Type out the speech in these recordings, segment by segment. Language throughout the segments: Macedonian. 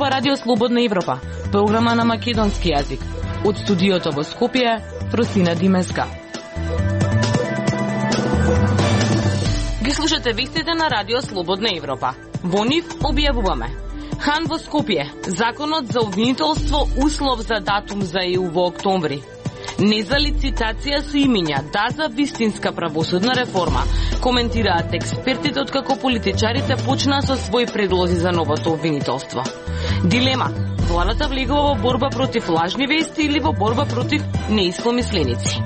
ова Радио Слободна Европа, програма на македонски јазик. Од студиото во Скопје, Фросина Димеска. Ги слушате вестите на Радио Слободна Европа. Во нив објавуваме: Хан во Скопје, законот за обвинителство услов за датум за ЕУ во октомври. Не за лицитација со имиња, да за вистинска правосудна реформа, коментираат експертите откако политичарите почнаа со своји предлози за новото обвинителство. Дилема: владата влегува во борба против лажни вести или во борба против неистомисленици?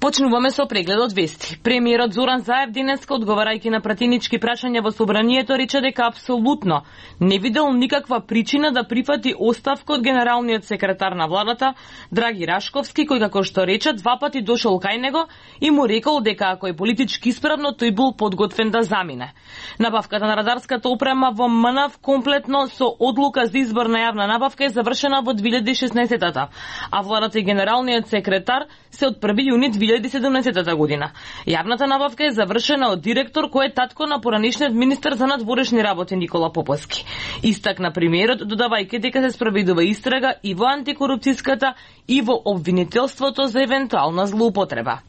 Почнуваме со прегледот вести. Премиерот Зоран Заев денеска, одговарајќи на пратенички прашања во собранието, рече дека апсолутно не видел никаква причина да прифати оставка од генералниот секретар на владата Драги Рашковски, кој, како што рече, 2 пати дошол кај него и му рекол дека ако е политички исправно, тој бил подготвен да замине. Набавката на радарската опрема во МНАВ комплетно со одлука за избор на јавна набавка е завршена во 2016-та, а владата и генералниот секретар се од 1 јуни 2017 година. Јавната набавка е завршена од директор кој е татко на поранешниот министер за надворешни работи Никола Поповски. Истакна премиерот, додавајќи дека се спроведува истрага и во антикорупцијската и во обвинителството за евентуална злоупотреба.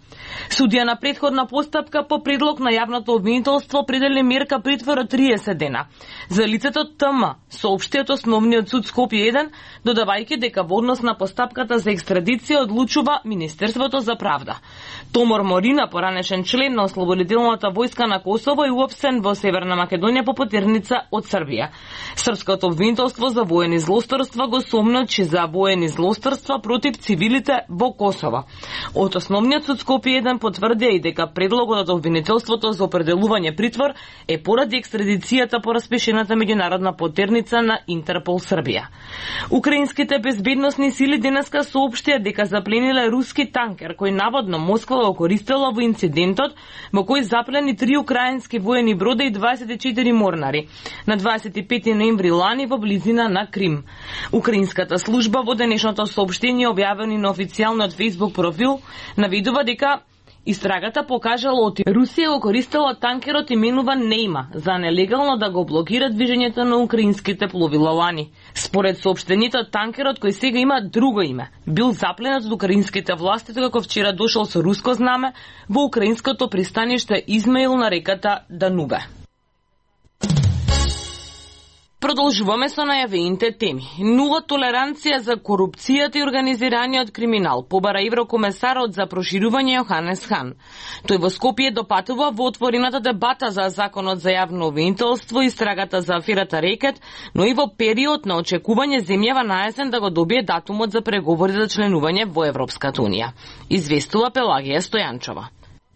Судија на претходна постапка по предлог на јавното обвинителство определи мерка притвор од 30 дена за лицето ТМ, соопштиот Основниот суд Скопје 1, додавајќи дека во однос на постапката за екстрадиција одлучува Министерството за правда. Томор Морина, поранешен член на Ослободителната војска на Косово, е уапсен во Северна Македонија по потерница од Србија. Српското обвинителство за воени злосторства го сомночи за воени злосторства против цивилите во Косово. Од Основниот суд Скопје 1 потврдија и дека предлогот од обвинителството за определување притвор е поради екстрадицијата по распишената меѓународна потерница на Интерпол Србија. Украинските безбедносни сили денеска соопштија дека заплениле руски танкер кој наводно Москва го користела во инцидентот во кој заплени 3 украински воени брода и 24 морнари на 25 ноември лани во близина на Крим. Украинската служба во денешното соопштение објавено на официјалниот Facebook профил наведува дека истрагата покажала оти Русија го користела танкерот именуван Нейма за нелегално да го блокира движењето на украинските пловила лани. Според соопштението, танкерот кој сега има друго име бил запленат од украинските власти како вчера дошол со руско знаме во украинското пристаниште Измаил на реката Данубе. Продолжуваме со најавените теми. Нула толеранција за корупцијата и организираниот криминал, побара еврокомесарот за проширување Јоханес Хан. Тој во Скопје допатува во отворената дебата за законот за јавно обвинителство и истрагата за аферата Рекет, но и во период на очекување земјава на есен да го добие датумот за преговори за членување во Европската унија. Известува Пелагија Стојанчова.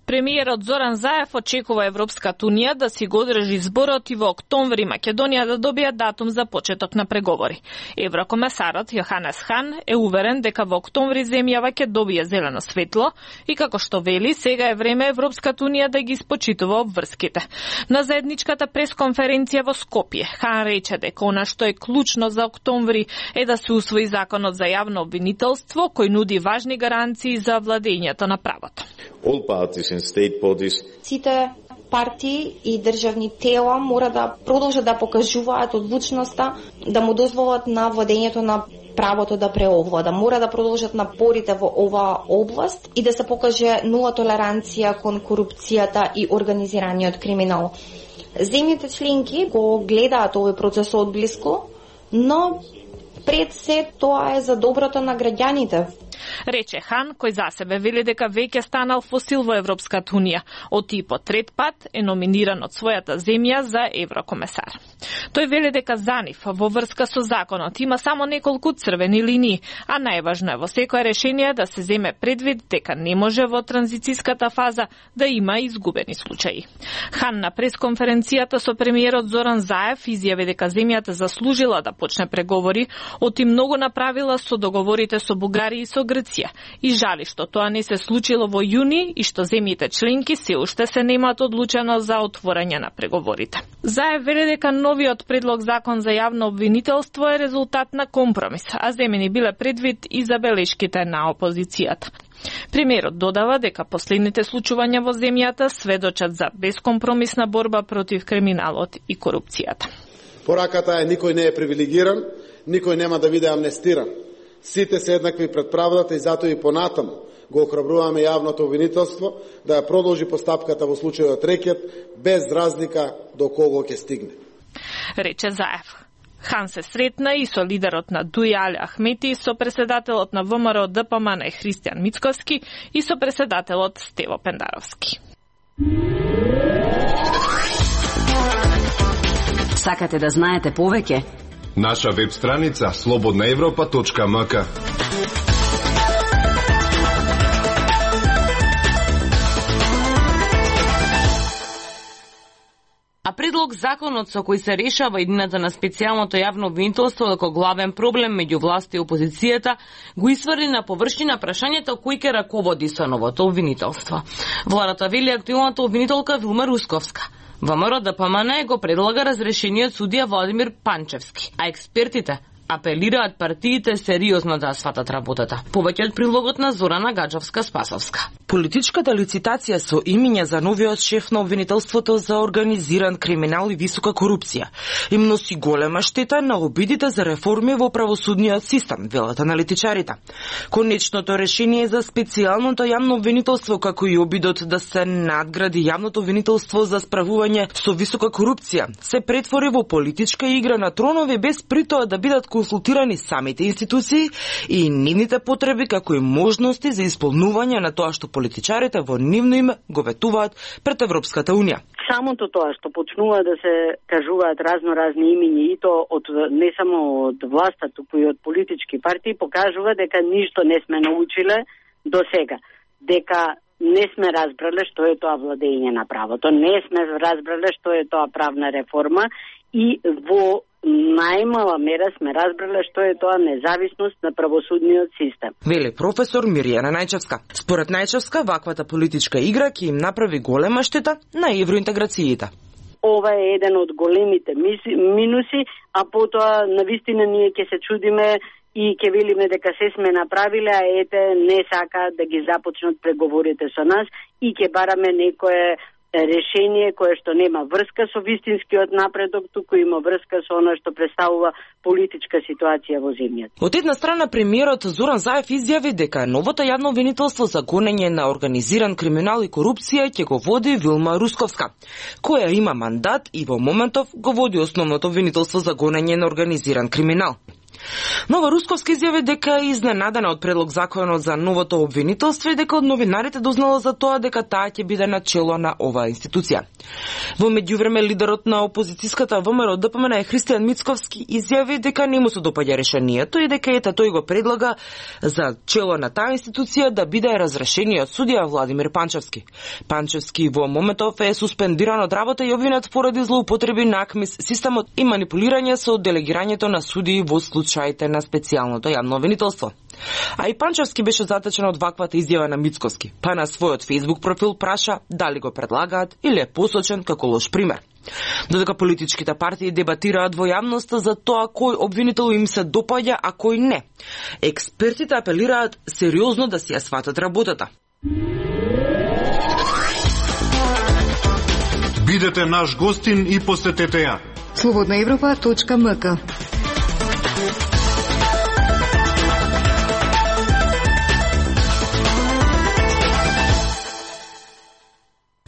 Премиерот Зоран Заев очекува Европската унија да си го одржи зборот и во октомври Македонија да добие датум за почеток на преговори. Еврокомесарот Јоханес Хан е уверен дека во октомври земјава ќе добие зелено светло и како што вели, сега е време Европската унија да ги испочитува обврските. На заедничката пресконференција во Скопје, Хан рече дека она што е клучно за октомври е да се усвои законот за јавно обвинителство кој нуди важни гаранции за владењето на правото. Сите партии и државни тела мора да продолжат да покажуваат одлучноста да му дозволат на владењето на правото да преовлада. Мора да продолжат напорите во оваа област и да се покаже нула толеранција кон корупцијата и организираниот криминал. Земјите членки го гледаат овој процес одблиску, но пред се тоа е за доброто на граѓаните. Рече Хан, кој за себе вели дека веќе станал фосил во Европската унија, оти по трет пат е номиниран од својата земја за еврокомесар. Тој вели дека за нив во врска со законот има само неколку црвени линии, а најважно е во секое решение да се земе предвид дека не може во транзицијската фаза да има изгубени случаи. Хан на пресконференцијата со премиерот Зоран Заев изјави дека земјата заслужила да почне преговори, оти многу направила со договорите со Бугарија и со Грција и жали што тоа не се случило во јуни и што земјите членки се уште се немаат одлучено за отворање на преговорите. Заев вели дека новиот предлог закон за јавно обвинителство е резултат на компромис, а земени биле предвид и забелешките на опозицијата. Премиерот додава дека последните случувања во земјата сведочат за бескомпромисна борба против криминалот и корупцијата. Пораката е никој не е привилегиран, никој нема да биде амнестиран. Сите се еднакви пред правдата и затоа и понатаму го охрабруваме јавното обвинителство да ја продолжи постапката во случајот рекет без разлика до кого ќе стигне. Рече Заев. Хан се сретна и со лидерот на ДУИ Али Ахмети, со председателот на ВМРО ДПМН Христијан Мицковски и со председателот Стево Пендаровски. Сакате да знаете повеќе? Наша веб страница slobodnaevropa.mk. А предлог законот со кој се решава иднината на специјалното јавно обвинителство како главен проблем меѓу власта и опозицијата го исврли на површина прашањето кој ќе раководи со новото обвинителство. Владата вели актуелната обвинителка Вилма Русковска. ВМРО ДПМН го предлага разрешениот судија Владимир Панчевски, а експертите апелираат партиите сериозно да сватат работата. Повеќе од прилогот на Зорана Гаджовска-Спасовска. Политичката лицитација со имиња за новиот шеф на обвинителството за организиран криминал и висока корупција им носи голема штета на обидите за реформи во правосудниот систем, велат аналитичарите. Конечното решение за специјалното јавно обвинителство, како и обидот да се надгради јавното обвинителство за справување со висока корупција, се претвори во политичка игра на тронови без притоа да бидат консултирани самите институции и нивните потреби, како и можности за исполнување на тоа што политичарите во нивно име го ветуваат пред Европската Унија. Самото тоа што почнува да се кажуваат разни имиња и то од не само од власта, туку и од политички партии, покажува дека ништо не сме научиле до сега. Дека не сме разбрале што е тоа владење на правото, не сме разбрале што е тоа правна реформа и во најмала мера сме разбрале што е тоа независност на правосудниот систем. Вели професор Мирјана Најчевска. Според Најчевска, ваквата политичка игра ќе им направи голема штета на евроинтеграциите. Ова е еден од големите минуси, а потоа навистина ние ќе се чудиме и ќе велиме дека се сме направиле, а ете не сака да ги започнат преговорите со нас и ќе бараме некое решение кое што нема врска со вистинскиот напредок, туку има врска со она што представува политичка ситуација во земјата. Од една страна премиерот Зоран Заев изјави дека новото јавно обвинителство за гонење на организиран криминал и корупција ќе го води Вилма Русковска, која има мандат и во моментов го води основното обвинителство за гонење на организиран криминал. Нова Русковска изјави дека е изненадена од предлог законот за новото обвинителство и дека од новинарите дознала за тоа дека таа ќе биде на чело на оваа институција. Во меѓувреме лидерот на опозицијската ВМРО ДПМН Христијан Мицковски изјави дека не му се допаѓа решението и дека ета тој го предлага за чело на таа институција да биде разрешениот судија Владимир Панчевски. Панчевски во моментов е суспендиран од работа и обвинет поради злоупотреби на АКМИС системот и манипулирање со делегирањето на судии во случаите на специјалното јавно обвинителство. А и Панчевски беше затечен од ваквата изјава на Мицковски, па на својот Facebook профил праша дали го предлагаат или е посочен како лош пример. Додека политичките партии дебатираат во јавноста за тоа кој обвинител им се допаѓа, а кој не, експертите апелираат сериозно да си ја сватат работата. Бидете наш гостин и посетете ја. slobodnaevropa.mk.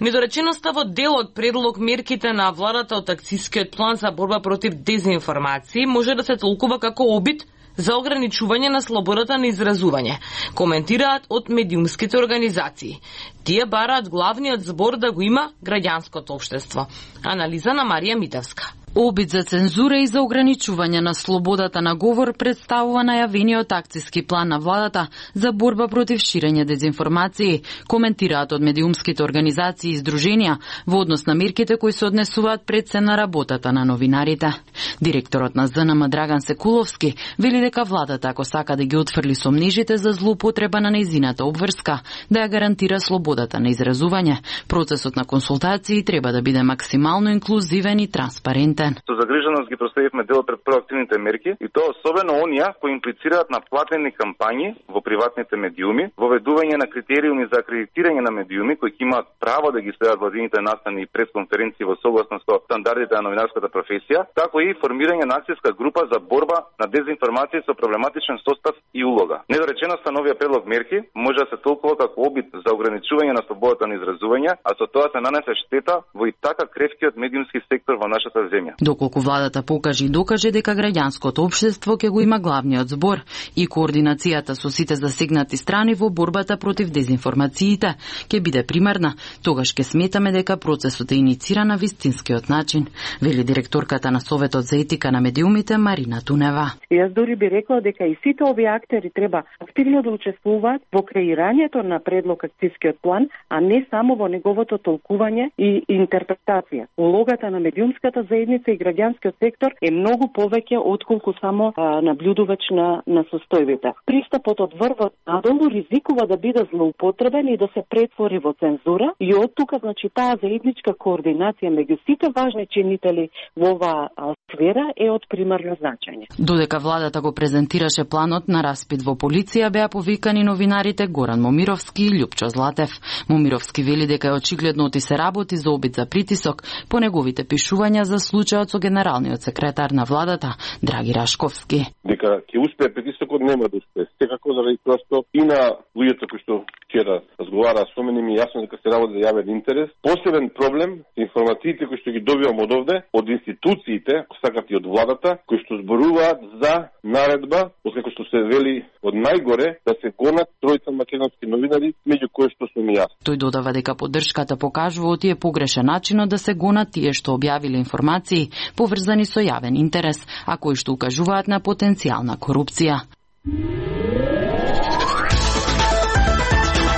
Недореченоста во дел од предлог мерките на владата од акцискиот план за борба против дезинформации може да се толкува како обид за ограничување на слободата на изразување, коментираат од медиумските организации. Тие бараат главниот збор да го има граѓанското општество. Анализа на Марија Митевска. Обид за цензура и за ограничување на слободата на говор представува најавениот акциски план на владата за борба против ширење дезинформации, коментираат од медиумските организации и здруженија во однос на мерките кои се однесуваат пред се на работата на новинарите. Директорот на ЗНМ Драган Секуловски вели дека владата, ако сака да ги отфрли сомнежите за злоупотреба на нејзината обврска, да ја гарантира слободата на изразување, процесот на консултации треба да биде максимално инклузивен и транспарентен. Со загриженост ги проследивме дел пред проактивните мерки и тоа особено оние кои имплицираат на платени кампањи во приватните медиуми, воведување на критериуми за акредитирање на медиуми кои имаат право да ги следат владините настани и пресконференции во согласност со стандардите на новинарската професија, како и формирање на акцијска група за борба на дезинформации со проблематичен состав и улога. Недореченоста на овие предлог мерки може да се толкува како обид за ограничување на слободата на изразување, а со тоа се нанесе штета во и така кревкиот медиумски сектор во нашата земја. Доколку владата покаже и докаже дека граѓанското општество ќе го има главниот збор и координацијата со сите засегнати страни во борбата против дезинформациите ќе биде примерна, тогаш ќе сметаме дека процесот е инициран на вистинскиот начин, вели директорката на Советот за етика на медиумите Марина Тунева. Јас дури би рекла дека и сите овие актери треба активно да учествуваат во креирањето на предлог акцијскиот план, а не само во неговото толкување и интерпретација. Улогата на медиумската заедница и граѓанскиот сектор е многу повеќе отколку само наблюдувач на состојбите. Пристапот од врвот надолу ризикува да биде злоупотребен и да се претвори во цензура и од тука значи таа заедничка координација меѓу сите важни чинители во оваа сфера е од примерно значење. Додека владата го презентираше планот на распит во полиција, беа повикани новинарите Горан Момировски и Љупчо Златев. Момировски вели дека е очигледно оти се работи за обид за притисок по неговите пишувања за случајот со генералниот секретар на владата Драги Рашковски. Дека ќе успее притисокот, нема да успее. Секако заради тоа што и на луѓето кои што вчера разговараа со мене, ми е јасно дека се работи за јавен интерес. Посебен проблем се информациите кои што ги добивам од овде, од институциите, ако сакат и од владата, кои што зборуваат за наредба, откако што се вели од најгоре да се гонат тројца македонски новинари, меѓу кои што сум и јас. Тој додава дека поддршката покажува оти е погрешен начинот да се гонат тие што објавиле информации поврзани со јавен интерес, а кои што укажуваат на потенцијална корупција.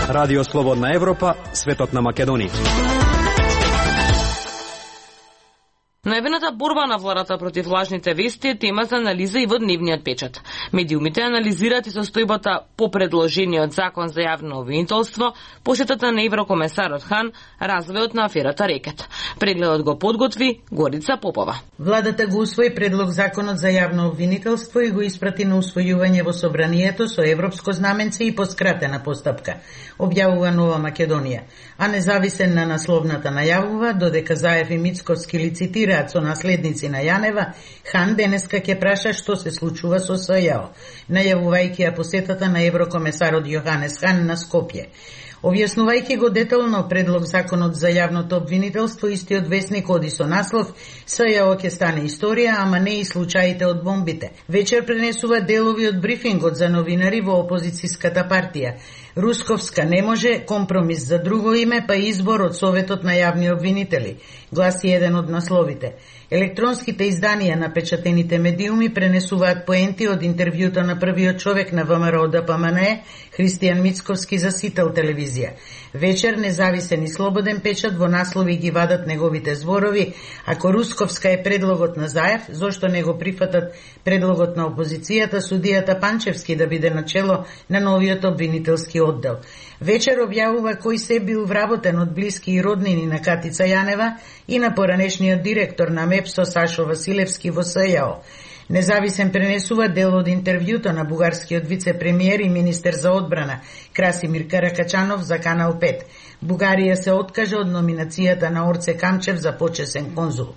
Радио Слободна Европа, светот на Македонија. Најавената борба на владата против лажните вести е тема за анализа и во дневниот печат. Медиумите анализираат и состојбата по предложениот закон за јавно обвинителство, посетата на еврокомесарот Хан, развојот на аферата Рекет. Прегледот го подготви Горица Попова. Владата го усвои предлог законот за јавно обвинителство и го испрати на усвојување во собранието со европско знаменце и по скратена постапка, објавува Нова Македонија. А независен на насловната најавува, додека Заев и Мицковски лицитираат со наследници на Јанева, Хан денеска ќе праша што се случува со СЈО, најавувајќи ја посетата на еврокомесарот Јоханес Хан на Скопје. Објаснувајќи го детално предлог законот за јавното обвинителство, истиот весник оди со наслов СЈО ќе стане историја, ама не и случаите од бомбите. Вечер пренесува делови од брифингот за новинари во опозицијската партија. Русковска не може, компромис за друго име, па избор од Советот на јавни обвинители, гласи еден од насловите. Електронските изданија на печатените медиуми пренесуваат поенти од интервјуто на првиот човек на ВМРО ДПМНЕ, Христијан Мицковски за Сител телевизија. Вечер независен и слободен печат во наслови ги вадат неговите зборови, ако Русковска е предлогот на Заев, зошто не го прифатат предлогот на опозицијата, судијата Панчевски да биде начело на новиот обвинителски оддел. Вечер објавува кој се бил вработен од блиски и роднини на Катица Јанева и на поранешниот директор на МЕПСО Сашо Василевски во СЈО. Независен пренесува дел од интервјуто на бугарскиот вице-премиер и министер за одбрана Красимир Каракачанов за Канал 5. Бугарија се откажа од номинацијата на Орце Камчев за почесен конзул.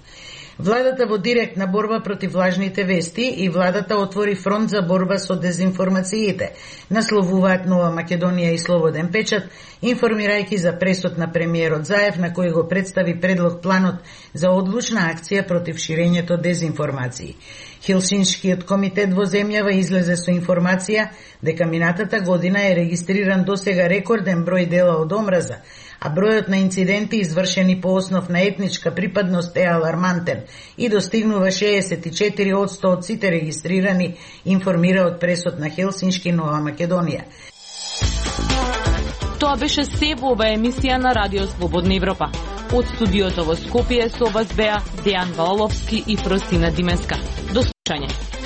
Владата во директна борба против лажните вести и владата отвори фронт за борба со дезинформациите, насловуваат Нова Македонија и Слободен печат, информирајќи за пресод на премиерот Заев на кој го представи предлог планот за одлучна акција против ширењето дезинформации. Хелсиншкиот комитет во земјава излезе со информација дека минатата година е регистриран досега рекорден број дела од омраза, а бројот на инциденти извршени по основ на етничка припадност е алармантен и достигнува 64% од сите регистрирани, информира од пресот на Хелсиншки Нова Македонија. Тоа беше се во оваа емисија на Радио Слободна Европа. Од студиото во Скопје со вас беа Дејан Валовски и Фростина Димеска. До слушање.